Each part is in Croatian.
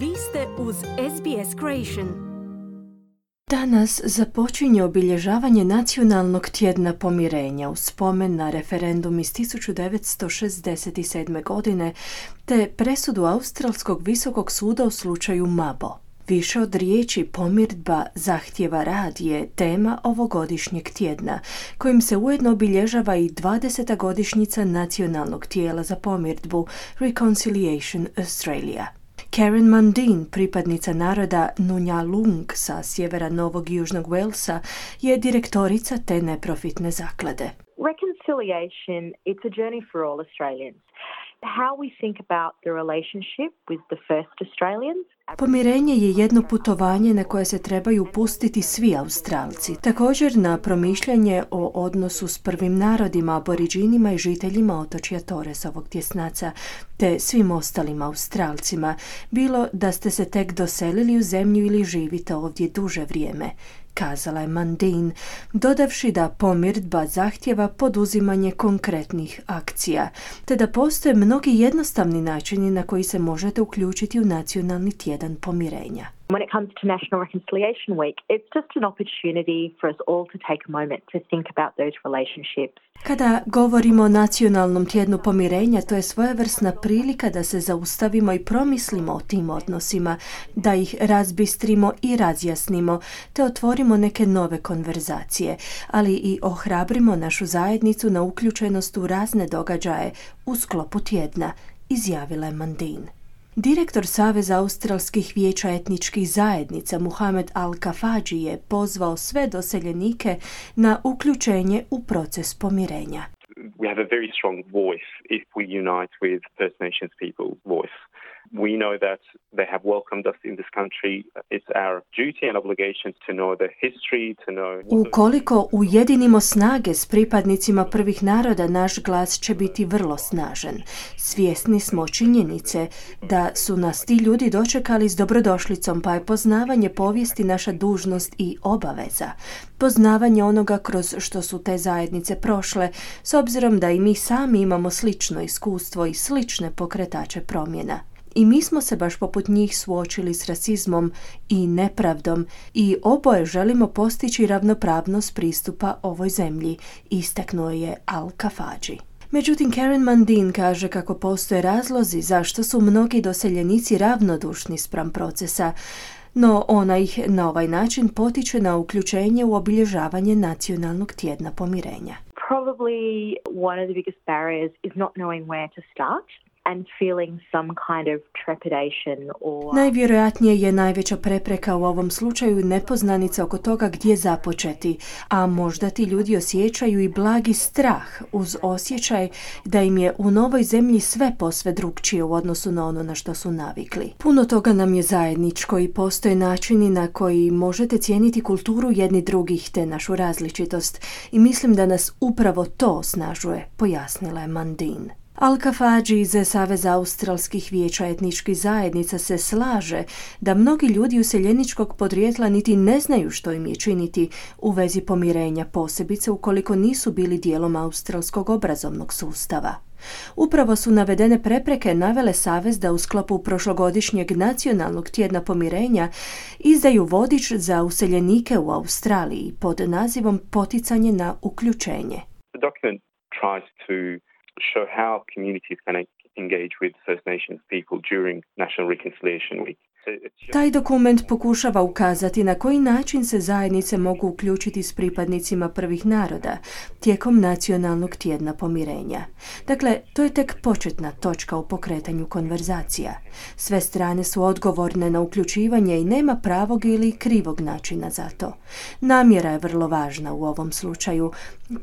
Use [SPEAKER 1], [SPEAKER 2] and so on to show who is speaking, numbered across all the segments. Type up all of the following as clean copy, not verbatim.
[SPEAKER 1] Vi ste uz SBS Creation.
[SPEAKER 2] Danas započinje obilježavanje Nacionalnog tjedna pomirenja u spomen na referendum iz 1967. godine te presudu Australskog visokog suda u slučaju Mabo. Više od riječi pomirdba zahtjeva rad je tema ovogodišnjeg tjedna, kojim se ujedno obilježava i 20. godišnjica nacionalnog tijela za pomirdbu Reconciliation Australia. Karen Mundine, pripadnica naroda Nunjalung sa sjevera Novog i Južnog Walesa, je direktorica te neprofitne zaklade.
[SPEAKER 3] Reconciliation, it's a journey for all Australians. How we think about the relationship with the first Australians.
[SPEAKER 2] Pomirenje je jedno putovanje na koje se trebaju upustiti svi Australci. Također na promišljanje o odnosu s prvim narodima, aboriđinima i žiteljima otočja Torresovog tjesnaca, te svim ostalim Australcima, bilo da ste se tek doselili u zemlju ili živite ovdje duže vrijeme, kazala je Mundine, dodavši da pomirdba zahtjeva poduzimanje konkretnih akcija, te da postoje mnogi jednostavni načini na koji se možete uključiti u nacionalni tjedan pomirenja.
[SPEAKER 3] When it comes to National Reconciliation Week, it's just an opportunity for us all to take a moment to think about those relationships.
[SPEAKER 2] Kada govorimo o nacionalnom tjednu pomirenja, to je svojevrsna prilika da se zaustavimo i promislimo o tim odnosima, da ih razbistrimo i razjasnimo, te otvorimo neke nove konverzacije, ali i ohrabrimo našu zajednicu na uključenost u razne događaje u sklopu tjedna, izjavila je Mundine. Direktor Saveza australskih vijeća etničkih zajednica Muhammad Al-Kafaji je pozvao sve doseljenike na uključenje u proces pomirenja.
[SPEAKER 4] We have a very strong voice if we unite with First Nations people's voice. We know that they have welcomed us in this country. It's our duty and obligation to know the history, to know...
[SPEAKER 2] Ukoliko ujedinimo snage s pripadnicima prvih naroda, naš glas će biti vrlo snažan. Svjesni smo činjenice da su nas ti ljudi dočekali s dobrodošlicom, pa je poznavanje povijesti naša dužnost i obaveza. Poznavanje onoga kroz što su te zajednice prošle, s obzirom da i mi sami imamo slično iskustvo i slične pokretače promjena. I mi smo se baš poput njih suočili s rasizmom i nepravdom i oboje želimo postići ravnopravnost pristupa ovoj zemlji, istaknuo je Al-Kafaji. Međutim, Karen Mundine kaže kako postoje razlozi zašto su mnogi doseljenici ravnodušni spram procesa, no ona ih na ovaj način potiče na uključenje u obilježavanje Nacionalnog tjedna pomirenja.
[SPEAKER 3] Probably one of the biggest barriers is not knowing where to start and feeling some kind of trepidation or...
[SPEAKER 2] Najvjerojatnije je najveća prepreka u ovom slučaju nepoznanica oko toga gdje započeti, a možda ti ljudi osjećaju i blagi strah uz osjećaj da im je u novoj zemlji sve posve drukčije u odnosu na ono na što su navikli. Puno toga nam je zajedničko i postoje načini na koji možete cijeniti kulturu jedni drugih te našu različitost i mislim da nas upravo to osnažuje, pojasnila je Mundine. Al-Kafaji iz Saveza australskih vijeća etničkih zajednica se slaže da mnogi ljudi useljeničkog podrijetla niti ne znaju što im je činiti u vezi pomirenja, posebice ukoliko nisu bili dijelom australskog obrazovnog sustava. Upravo su navedene prepreke navele Savez da u sklopu prošlogodišnjeg Nacionalnog tjedna pomirenja izdaju vodič za useljenike u Australiji pod nazivom Poticanje na uključenje.
[SPEAKER 4] The document tries to show how communities can engage with First Nations people during National Reconciliation Week.
[SPEAKER 2] Taj dokument pokušava ukazati na koji način se zajednice mogu uključiti s pripadnicima prvih naroda tijekom Nacionalnog tjedna pomirenja. Dakle, to je tek početna točka u pokretanju konverzacija. Sve strane su odgovorne na uključivanje i nema pravog ili krivog načina za to. Namjera je vrlo važna u ovom slučaju.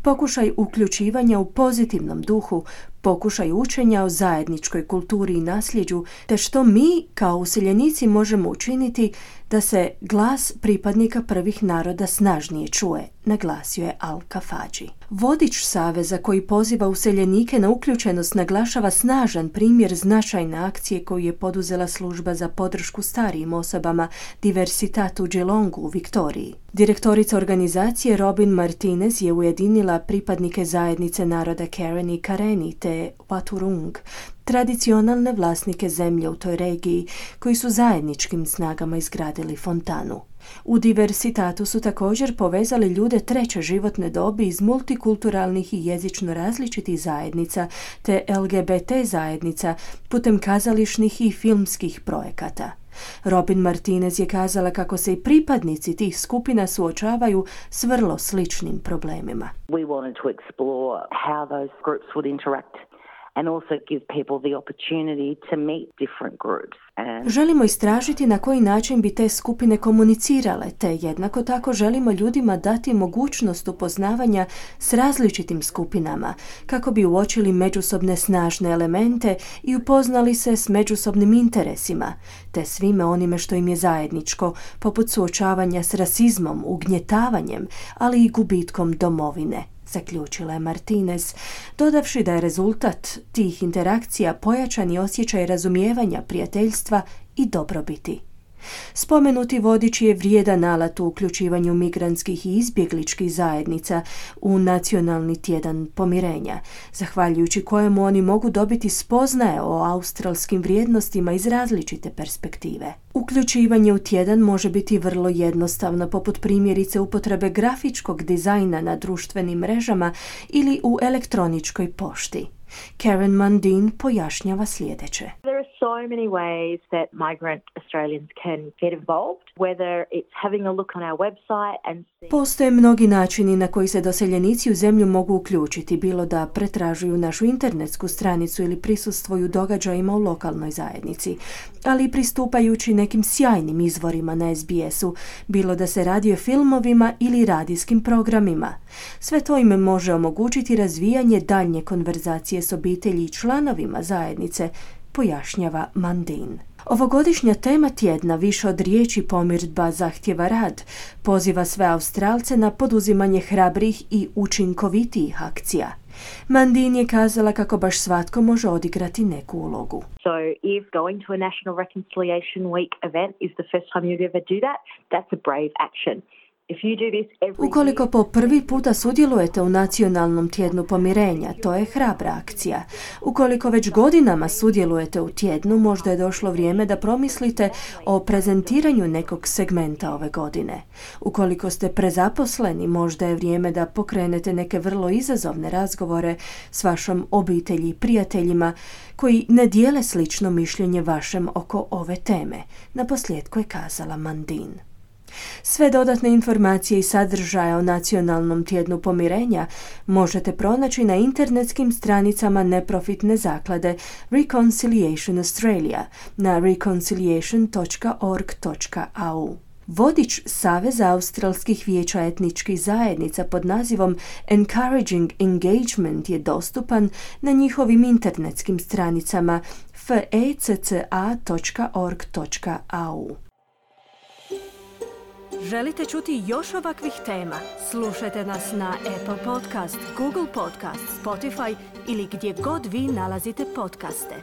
[SPEAKER 2] Pokušaj uključivanja u pozitivnom duhu, pokušaj učenja o zajedničkoj kulturi i nasljeđu, te što mi kao useljenici možemo učiniti da se glas pripadnika prvih naroda snažnije čuje, naglasio je Al-Kafaji. Vodič saveza koji poziva useljenike na uključenost naglašava snažan primjer značajne akcije koju je poduzela služba za podršku starijim osobama Diversitat u Geelongu u Viktoriji. Direktorica organizacije Robin Martinez je ujedinila pripadnike zajednice naroda Karen i Kareni te Waturung, tradicionalne vlasnike zemlje u toj regiji, koji su zajedničkim snagama izgradili fontanu. U Diversitatu su također povezali ljude treće životne dobi iz multikulturalnih i jezično različitih zajednica te LGBT zajednica putem kazališnih i filmskih projekata. Robin Martinez je kazala kako se i pripadnici tih skupina suočavaju s vrlo sličnim problemima.
[SPEAKER 5] We wanted to explore how those groups would interact and also give people the opportunity to meet different groups.
[SPEAKER 2] Želimo istražiti na koji način bi te skupine komunicirale, te jednako tako želimo ljudima dati mogućnost upoznavanja s različitim skupinama, kako bi uočili međusobne snažne elemente i upoznali se s međusobnim interesima, te svime onime što im je zajedničko, poput suočavanja s rasizmom, ugnjetavanjem, ali i gubitkom domovine, zaključila je Martinez, dodavši da je rezultat tih interakcija pojačani osjećaj razumijevanja, prijateljstva i dobrobiti. Spomenuti vodič je vrijedan alat u uključivanju migrantskih i izbjegličkih zajednica u Nacionalni tjedan pomirenja, zahvaljujući kojemu oni mogu dobiti spoznaje o australskim vrijednostima iz različite perspektive. Uključivanje u tjedan može biti vrlo jednostavno, poput primjerice upotrebe grafičkog dizajna na društvenim mrežama ili u elektroničkoj pošti. Karen Mundine pojašnjava sljedeće.
[SPEAKER 3] There are so many ways that migrant Australians can get involved, whether it's having a look on our website and
[SPEAKER 2] Postoje mnogi načini na koji se doseljenici u zemlju mogu uključiti, bilo da pretražuju našu internetsku stranicu ili prisustvuju događajima u lokalnoj zajednici, ali i pristupajući nekim sjajnim izvorima na SBS-u, bilo da se radi o filmovima ili radijskim programima. Sve to im može omogućiti razvijanje daljnje konverzacije s obitelji i članovima zajednice, pojašnjava Mundine. Ovogodišnja tema tjedna, više od riječi pomirdba zahtjeva rad, poziva sve Australce na poduzimanje hrabrih i učinkovitijih akcija. Mundine je kazala kako baš svatko može odigrati neku ulogu.
[SPEAKER 3] So if going to a National Reconciliation Week event is the first time you'd ever do that, that's a brave action.
[SPEAKER 2] Ukoliko po prvi puta sudjelujete u Nacionalnom tjednu pomirenja, to je hrabra akcija. Ukoliko već godinama sudjelujete u tjednu, možda je došlo vrijeme da promislite o prezentiranju nekog segmenta ove godine. Ukoliko ste prezaposleni, možda je vrijeme da pokrenete neke vrlo izazovne razgovore s vašom obitelji i prijateljima koji ne dijele slično mišljenje vašem oko ove teme, naposljetku je kazala Mundine. Sve dodatne informacije i sadržaje o Nacionalnom tjednu pomirenja možete pronaći na internetskim stranicama neprofitne zaklade Reconciliation Australia na reconciliation.org.au. Vodič Saveza australskih vijeća etničkih zajednica pod nazivom Encouraging Engagement je dostupan na njihovim internetskim stranicama fecca.org.au.
[SPEAKER 1] Želite čuti još ovakvih tema? Slušajte nas na Apple Podcast, Google Podcast, Spotify ili gdje god vi nalazite podcaste.